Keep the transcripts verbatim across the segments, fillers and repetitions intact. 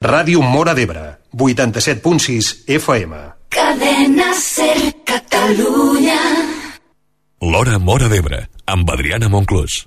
Ràdio Móra d'Ebre, vuitanta-set punt sis F M. Cadena Ser Catalunya. L'Hora Móra d'Ebre, amb Adriana Monclús.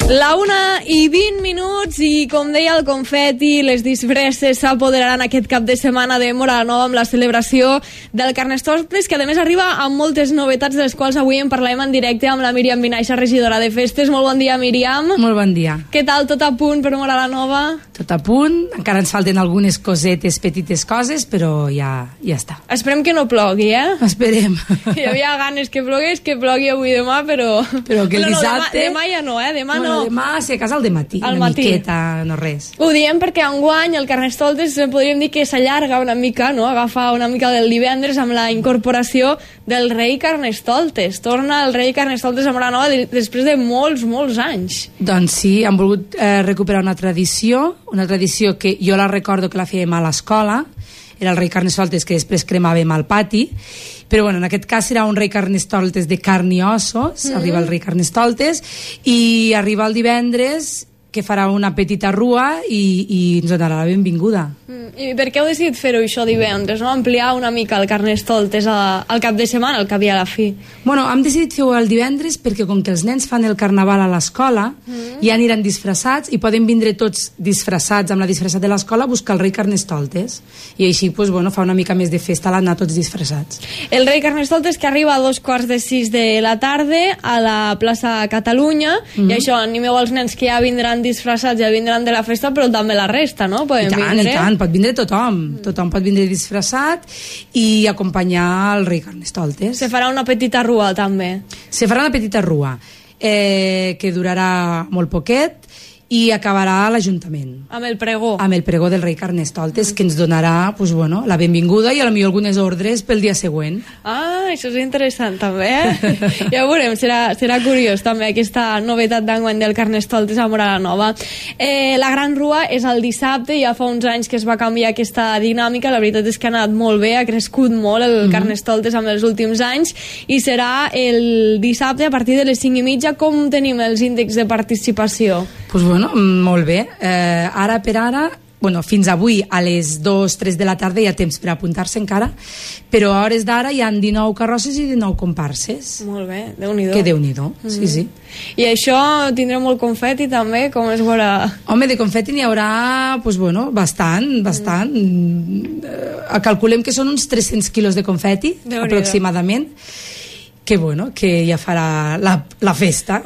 La una i vint minuts i, com deia el confeti, les disfresses s'apoderaran aquest cap de setmana de Móra la Nova amb la celebració del Carnestoltes, que a més arriba amb moltes novetats, de les quals avui en parlarem en directe amb la Míriam Vinaixa, regidora de festes. Molt bon dia, Míriam. Molt bon dia. Què tal? Tot a punt per Móra la Nova? Tot a punt. Encara ens falten algunes cosetes, petites coses, però ja, ja està. Esperem que no plogui, eh? Esperem. Hi havia ganes que plogués, que plogui avui demà, però... Però que el no, dissabte... No, demà, demà ja no, eh? Demà bueno, no. Demà, si a casa, al dematí. Al una matí. miqueta, no res. Ho diem perquè enguany el Carnestoltes podríem dir que s'allarga una mica, no? Agafa una mica del divendres amb la incorporació del rei Carnestoltes. Torna el rei Carnestoltes a Móra la Nova després de molts, molts anys. Doncs sí, han volgut eh, recuperar una tradició, una tradició que jo la recordo que la fèiem a l'escola, era el rei Carnestoltes que després cremàvem al pati, però bueno, en aquest cas serà un rei Carnestoltes de carn i ossos, mm-hmm. Arriba el rei Carnestoltes i arriba el divendres, que farà una petita rua i, i ens donarà la benvinguda. Mm. I per què heu decidit fer-ho això divendres, no? Ampliar una mica el Carnestoltes a, al cap de setmana, al cap i a la fi? Bueno, hem decidit fer-ho el divendres perquè com que els nens fan el carnaval a l'escola, mm. ja aniran disfressats i poden vindre tots disfressats amb la disfressat de l'escola a buscar el rei Carnestoltes. I així, pues, bueno, fa una mica més de festa l'anar tots disfressats. El rei Carnestoltes que arriba a dos quarts de sis de la tarda a la plaça Catalunya, mm. i això, animeu els nens que ja vindran disfressats, ja vindran de la festa, però també la resta, no? Podem I tant, vindre. i tant, pot vindre tothom. Mm. Tothom pot vindre disfressat i acompanyar el rei Carnestoltes. Se farà una petita rua, també. Se farà una petita rua, eh, que durarà molt poquet, i acabarà a l'Ajuntament. Amb el pregó. Amb el pregó del rei Carnestoltes, mm. que ens donarà, pues, bueno, la benvinguda i a lo millor algunes ordres pel dia següent. Ah, això és interessant també, eh? Ja ho veurem, serà, serà curiós també aquesta novetat d'enguany del Carnestoltes a Móra la Nova. Eh, la Gran Rua és el dissabte, ja fa uns anys que es va canviar aquesta dinàmica, la veritat és que ha anat molt bé, ha crescut molt el mm-hmm. Carnestoltes amb els últims anys, i serà el dissabte a partir de les cinc i mitja. Com tenim els índexs de participació? Pues bueno, molt bé. Eh, ara per ara, bueno, fins avui a les dues tres de la tarda hi ha temps per apuntar-se encara, però a hores d'ara hi ha dinou carrosses i dinou comparses. Molt bé, Déu-n'hi-do. Que Déu-n'hi-do, mm-hmm. sí, sí. I això tindrà molt confeti també, com es veurà? Home, de confeti n'hi haurà, pues bueno, bastant, bastant. Mm. Eh, calculem que són uns tres-cents quilos de confeti, aproximadament. Que bueno, que ja farà la, la festa.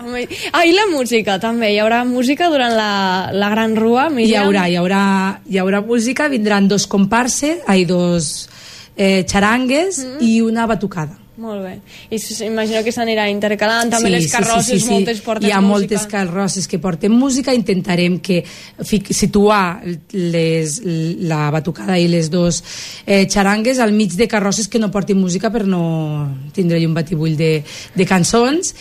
Ah, i la música també, hi haurà música durant la, la Gran Rua, Míriam? Hi haurà, hi haurà, hi haurà música, vindran dos comparses, ai, dos eh, xarangues mm. i una batucada. Molt bé. I imagino que s'anirà intercalant també, sí, les carrosses, sí, sí, sí, moltes porten música. Hi ha música. Moltes carrosses que porten música, intentarem que situar les, la batucada i les dos eh, xarangues al mig de carrosses que no portin música per no tindre un batibull de, de cançons,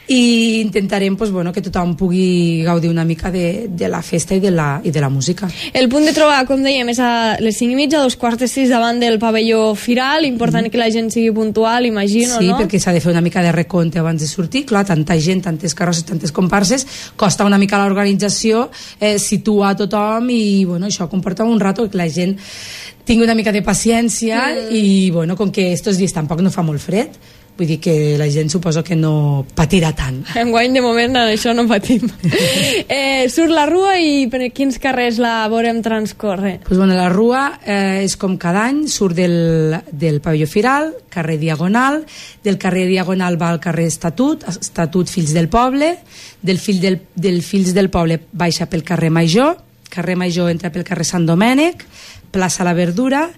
i intentarem, pues, bueno, que tothom pugui gaudir una mica de, de la festa i de la, i de la música. El punt de trobar, com dèiem, és a les cinc i mitja, dos quarts de sis davant del pavelló Firal. Important mm. que la gent sigui puntual, imagino. Sí, no? Perquè s'ha de fer una mica de recompte abans de sortir. Clar, tanta gent, tantes carrosses, tantes comparses, costa una mica l'organització, eh, situar tothom, i bueno, això comporta un rato que la gent tingui una mica de paciència, mm. i bueno, com que estos dies tampoc no fa molt fred, vull dir que la gent suposo que no patirà tant. Enguany, de moment, això no patim. eh, surt la rua i per quins carrers la veurem transcórrer? Pues bueno, la rua eh, és com cada any, surt del, del pavelló Firal, carrer Diagonal, del carrer Diagonal va al carrer Estatut, Estatut Fills del Poble, del, fill del, del Fills del Poble baixa pel carrer Major, carrer Major entra pel carrer Sant Domènec, plaça La Verdura,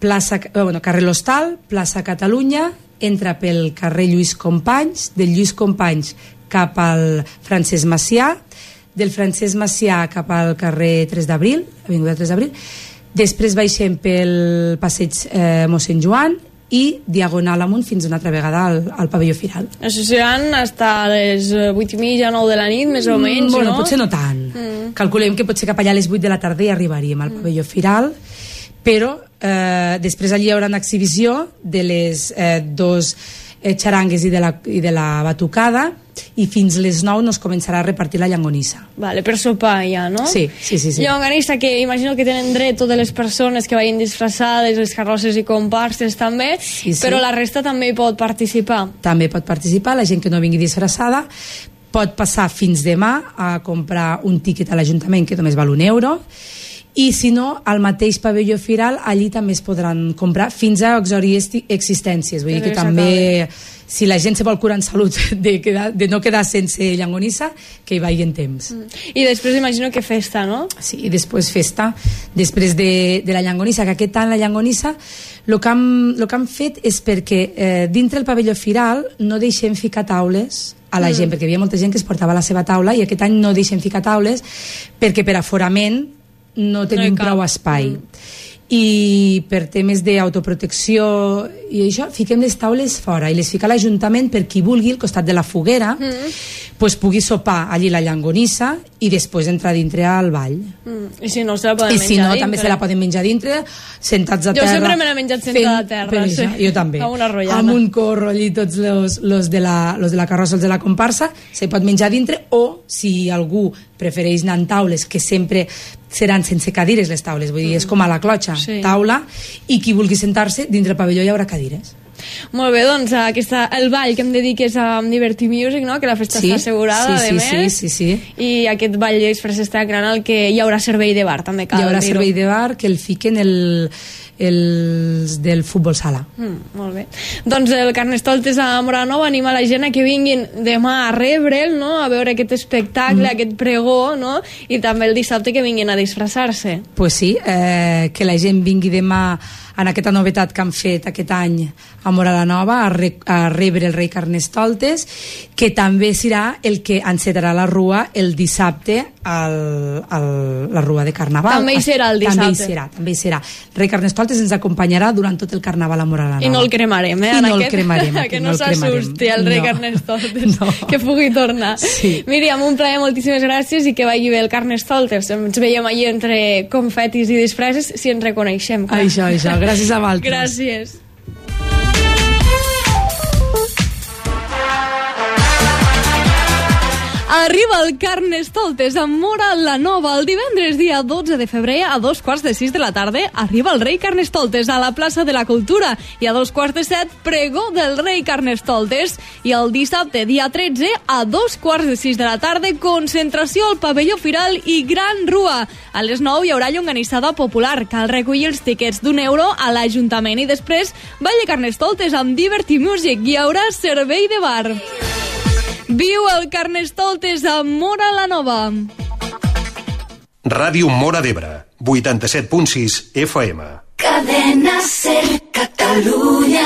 plaça, bueno, carrer L'Hostal, plaça Catalunya, entra pel carrer Lluís Companys, del Lluís Companys cap al Francesc Macià, del Francesc Macià cap al carrer tres d'abril, avinguda tres d'abril, després baixem pel passeig eh, Mossèn Joan i diagonal amunt fins una altra vegada al, al pavelló Firal. Això seran fins a les vuit i mitja, nou de la nit, més o menys, mm, bueno, no? Potser no tant. Mm. Calculem que potser cap allà a les vuit de la tarda hi arribaríem al pavelló Firal, però eh, després allí hi haurà una exhibició de les eh, dos eh, xarangues i de, la, i de la batucada, i fins les nou no es començarà a repartir la llangonissa. Vale, per sopar ja, no? Sí, sí, sí, sí. Llangonissa que imagino que tenen dret totes les persones que vagin disfressades, les carrosses i comparses també, sí, sí. Però la resta també hi pot participar. També pot participar, la gent que no vingui disfressada pot passar fins demà a comprar un tíquet a l'Ajuntament que només val un euro, i si no, al mateix pavelló firal allí també es podran comprar fins a exhaurir existències, vull dir que també si la gent se vol curar en salut de, quedar, de no quedar sense llangonissa, que hi vagi en temps. Mm. I després imagino que festa, no? Sí, i després festa, després de, de la llangonissa, que aquest any la llangonissa el que hem, lo que hem fet és perquè eh, dintre el pavelló firal no deixem ficar taules a la mm. gent, perquè hi havia molta gent que es portava la seva taula, i aquest any no deixem ficar taules perquè per aforament no tenim no prou espai. Mm. I per temes d'autoprotecció i això, fiquem les taules fora i les fica l'Ajuntament per qui vulgui al costat de la foguera, mm. pues pugui sopar allí la llangonissa i després entrar dintre al ball. Mm. I si no se la poden I menjar si no, dintre. També se la poden menjar dintre, sentats a jo terra. Jo sempre me l'he menjat sentada a terra. Sí. Jo també. Amb una rotllana. Amb un corro allí, tots los, los, de la, los de la carrossa, els de la comparsa, se pot menjar dintre, o si algú prefereix anar en taules, que sempre seran sense cadires les taules, vull dir, és com a la clotxa, sí. Taula, i qui vulgui sentar-se, dintre el pavelló hi haurà cadires. Molt bé, doncs aquesta, el ball que em dediques a Diverty Music, no? Que la festa sí, està assegurada, sí, sí, sí, més, sí, sí, sí. I aquest ball d'express està gran, el que hi haurà servei de bar, també cal dir-ho. Hi haurà dir-ho. servei de bar que el fiquen el, els del futbol sala. Mm, molt bé. Doncs el Carnestoltes a Moranova anima la gent a que vinguin demà a rebre'l, no? A veure aquest espectacle, mm. aquest pregó, no? I també el dissabte que vinguin a disfressar-se. Pues sí, eh, que la gent vingui demà en aquesta novetat que han fet aquest any a Mora la Nova, a, re, a rebre el rei Carnestoltes, que també serà el que encetarà la rua el dissabte al, al, la rua de Carnaval. També hi serà el dissabte. També hi serà, també hi serà. El rei Carnestoltes ens acompanyarà durant tot el Carnaval a Mora la Nova. I no el cremarem, eh? I no aquest, el cremarem. Que no, no s'assusti el rei no. Carnestoltes, no. Que pugui tornar. Sí. Míriam, un plaer, moltíssimes gràcies, i que vagi bé el Carnestoltes. Ens veiem allí entre confetis i disfresses, si ens reconeixem. Clar. Això, això. Gràcies a vosaltres. Gràcies. Arriba el Carnestoltes a Mora la Nova el divendres dia dotze de febrer a dos quarts de sis de la tarda. Arriba el rei Carnestoltes a la plaça de la Cultura, i a dos quarts de set pregó del rei Carnestoltes, i el dissabte dia tretze a dos quarts de sis de la tarda concentració al pavelló firal i gran rua. A les nou hi haurà llonganissada popular. Cal recollir els tiquets d'un euro a l'Ajuntament, i després ball de Carnestoltes amb Diverty Music. Hi haurà servei de bar. Viu el Carnestoltes a Mora la Nova. Ràdio Mora d'Ebre, vuitanta-set punt sis F M. Cadena Ser Catalunya.